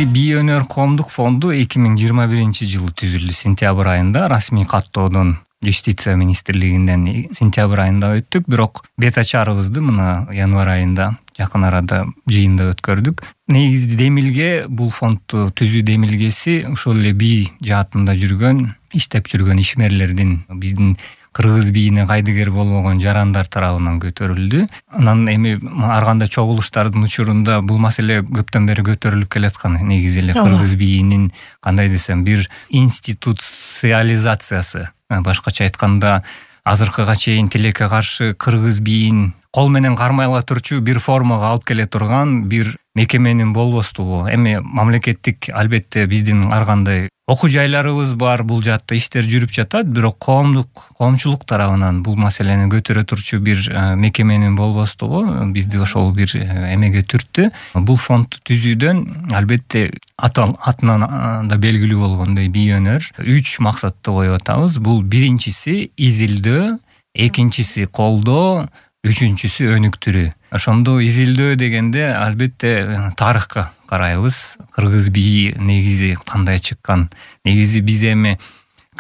Бизди Бий өнөр коомдук фонду 2021-жылы түзүлдү. Сентябрь айында расмий каттоодон Юстиция министрлигинен сентябрь айында өттүк, бирок бет ачарыбызды мына январь айында жакын арада жыйында өткөрдүк. Негизи демилге бул фондду түзүү демилгеси ошол эле бий жаатында жүргөн, иштеп жүргөн ишмерлердин, биздин кыргыз бийине кайдыгер болбогон жарандар тарабынан көтөрүлдү. Анан эми ар кандай чогулуштардын учурунда бул маселе көптөн бери көтөрүлүп келаткан. Негизи эле кыргыз бийинин кандай десем бир институциализациясы. Башкача айтканда, азыркыга чейин тилекке каршы кыргыз бийин кол менен кармай ала турчу бир формага алып келе турган бир мекеменин болбостугу. Эми мамлекеттик албетте биздин ар кандай окуу жайларыбыз бар, бул жаатта иштер жүрүп жатат, бирок коомчулук тарабынан бул маселени көтөрө турчу бир мекеменин болбостугу бизди ошол бир эмеге түрттү. Бул фондду түзүүдөн албетте атынан да белгилүү болгондой бий өнөр 3 максатты коюп атабыз. Бул биринчиси изилдөө, экинчиси колдоо, үчүнчүсү өнүктүрүү. Ошондо изилдөө дегенде албетте тарыхка карайбыз. Кыргыз бийи негизи кандай чыккан? Негизи биз эми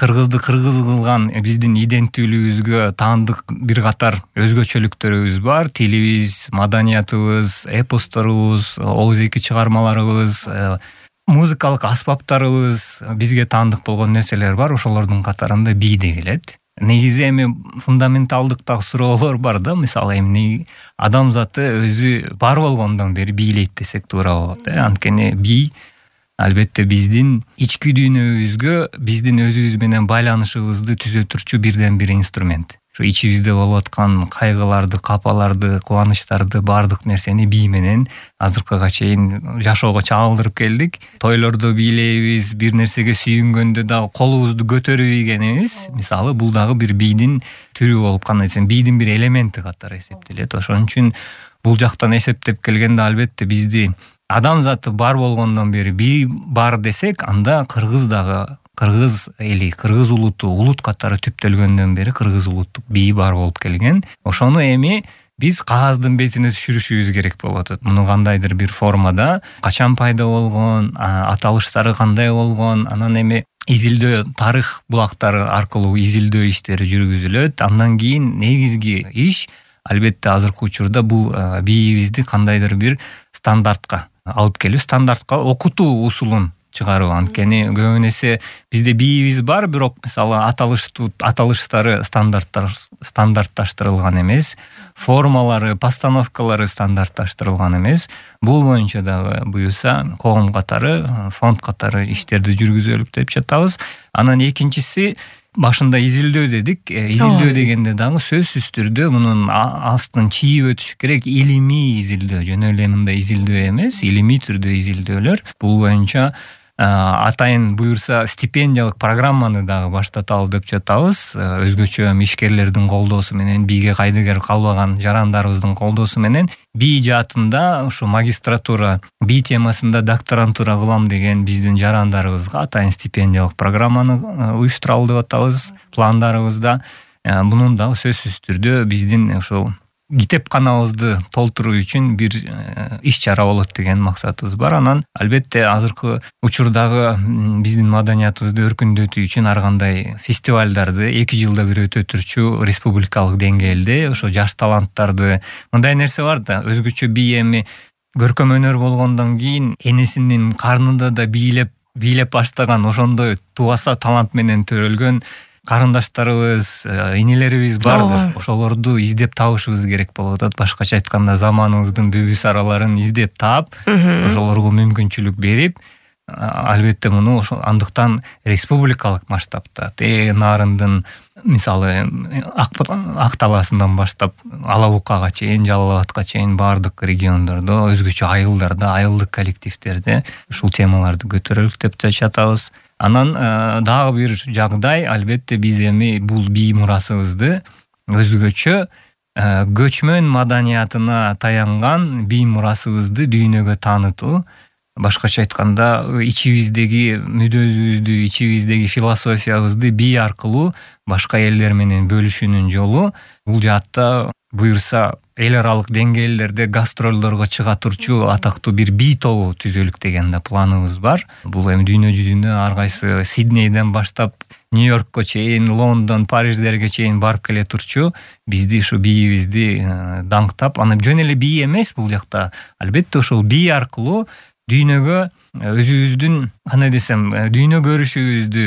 кыргызды кыргыз кылган биздин иденттүүлүгүбүзгө таандык бир катар өзгөчөлүктөрүбүз бар. Тилибиз, маданиятыбыз, эпосторубуз, оозеки чыгармаларыбыз, музыкалык аспаптарыбыз, бизге таандык болгон нерселер бар. Ошолордун катарында бий да келет. Негизи эми фундаменталдыктагы суроолор бар да, мисалы эми адамзаты өзү бар болгондон бери бийлейт десек туура болот. Анткени бий албетте биздин ички дүйнөбүзгө, биздин өзүбүз менен байланышыбызды түзө турчу бирден бир инструмент. Ошо ичибизде болуп аткан кайгыларды, капаларды, кубанычтарды, баардык нерсени бий менен азыркыга чейин жашоого чагылдырып келдик. Тойлордо бийлейбиз, бир нерсеге сүйүнгөндө дагы колубузду көтөрүп ийгенибиз, мисалы бул дагы бир бийдин түрү болуп, кандай десем, бийдин бир элементи катары эсептелет. Ошон үчүн бул жактан эсептеп келгенде албетте бизди адамзаты бар болгондон бери бий бар десек, анда кыргыз дагы, кыргыз эли, кыргыз улут катары түптөлгөндөн бери кыргыз улуттук бий бар болуп келген. Ошону эми биз кагаздын бетине түшүрүшүбүз керек болуп атат. Муну кандайдыр бир формада качан пайда болгон, аталыштары кандай болгон, анан эми изилдөө, тарых булактары аркылуу изилдөө иштери жүргүзүлөт. Андан кийин негизги иш албетте азыркы учурда бул бийибизди кандайдыр бир стандартка алып келүү, стандартка окутуу усулун чыгаруу. Анткени көбүн эсе бизде бийибиз бар, бирок мисалы аталыштары стандартташтырылган эмес, формалары, постановкалары стандартташтырылган эмес. Бул боюнча дагы буюрса коом катары, фонд катары иштерди жүргүзөлүп деп жатабыз. Анан экинчиси, башында изилдөө дедик. Изилдөө дегенде дагы сөзсүз түрдө мунун астын чийип өтүш керек. Илимий изилдөө, жөн эле мындай изилдөө эмес, илимий түрдө изилдөөлөр. Бул боюнча атайын буюрса стипендиялык программаны дагы баштаталы деп жатабыз. Өзгөчө ишкерлердин колдоосу менен, бийге кайдыгер калбаган жарандарыбыздын колдоосу менен бий жаатында ушу магистратура, бий темасында докторантура кылам деген биздин жарандарыбызга атайын стипендиялык программаны уюштуралы деп атабыз пландарыбызда. Мунун дагы сөзсүз түрдө биздин ошол китепканабызды толтуруу үчүн бир иш-чара болот деген максатыбыз бар. Анан албетте азыркы учурдагы биздин маданиятыбызды өркүндөтүү үчүн ар кандай фестивалдарды 2 жылда бир өтө турчу республикалык деңгээлде ошо жаш таланттарды, мындай нерсе бар да, өзгөчө бий эми көркөм өнөр болгондон кийин энесинин карнында да бийлеп баштаган, ошондой тубаса талант менен төрөлгөн карындаштарыбыз, инелерибиз бардыр. Ошолорду издеп табышыбыз керек болуп атат. Башкача айтканда заманыбыздын бүбүс араларын издеп таап, ошолорго мүмкүнчүлүк берип, албетте муну ошол андыктан республикалык масштабта нарындын мисалы Ак талаасынан баштап Ала Букага чейин, Жалал Абадка чейин баардык региондордо, өзгөчө айылдарда, айылдык коллективдерде ушул темаларды көтөрөлүк деп жатабыз. Анан дагы бир жагдай, албетте биз эми бул бий мурасыбызды өзгөчө көчмөн маданиятына таянган бий мурасыбызды дүйнөгө таанытуу. Башкача айтканда, ичибиздеги мүдөөбүздү, ичибиздеги философиябызды бий аркылуу башка элдер менен бөлүшүүнүн жолу. Бул жаатта буюрса эл аралык деңгээлдерде гастролдорго чыга турчу атактуу бир бий тобу түзөлүк деген да планыбыз бар. Бул эми дүйнө жүзүнө ар кайсы Сиднейден баштап Нью-Йоркко чейин, Лондон, Париждерге чейин барып келе турчу бизди ушу бийибизди даңктап, аны жөн эле бий эмес бул жакта. Албетте ошол бий аркылуу дүйнөгө өзүбүздүн, кандай десем, дүйнө көрүшүбүздү,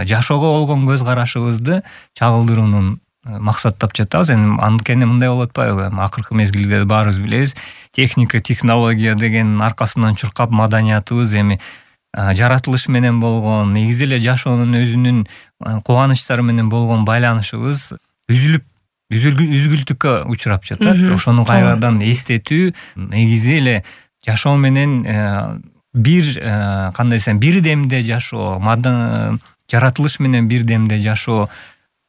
жашоого болгон көз карашыбызды чагылдыруунун максаттап жатабыз. Эми анткени мындай болуп атпайбы? Акыркы мезгилде баарыбыз билебиз, техника, технология деген аркасынан чуркап маданиятыбыз эми жаратылыш менен болгон, негизи эле жашоонун өзүнүн кубанычтары менен болгон байланышыбыз үзгүлтүккө учурап жатат. Ошону кайрадан эстетүү, негизи эле жашоо менен бир, кандай десем, бир демде жашоо, жаратылыш менен бир демде жашоо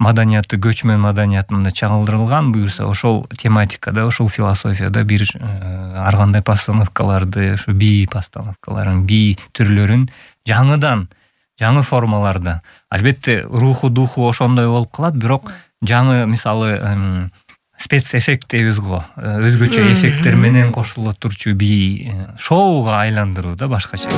маданияты, көчмөн маданиятында чагылдырылган. Буюрса ошол тематикада, ошол философияда бир ар кандай постановкаларды, ушу бий постановкаларын, бий түрлөрүн жаңыдан, жаңы формаларда, албетте руху, духу ошондой болуп калат, бирок жаңы, мисалы, спецэффект дейбиз го, өзгөчө эффекттер менен кошуло турчу бий шоуга айландыруу да башкача.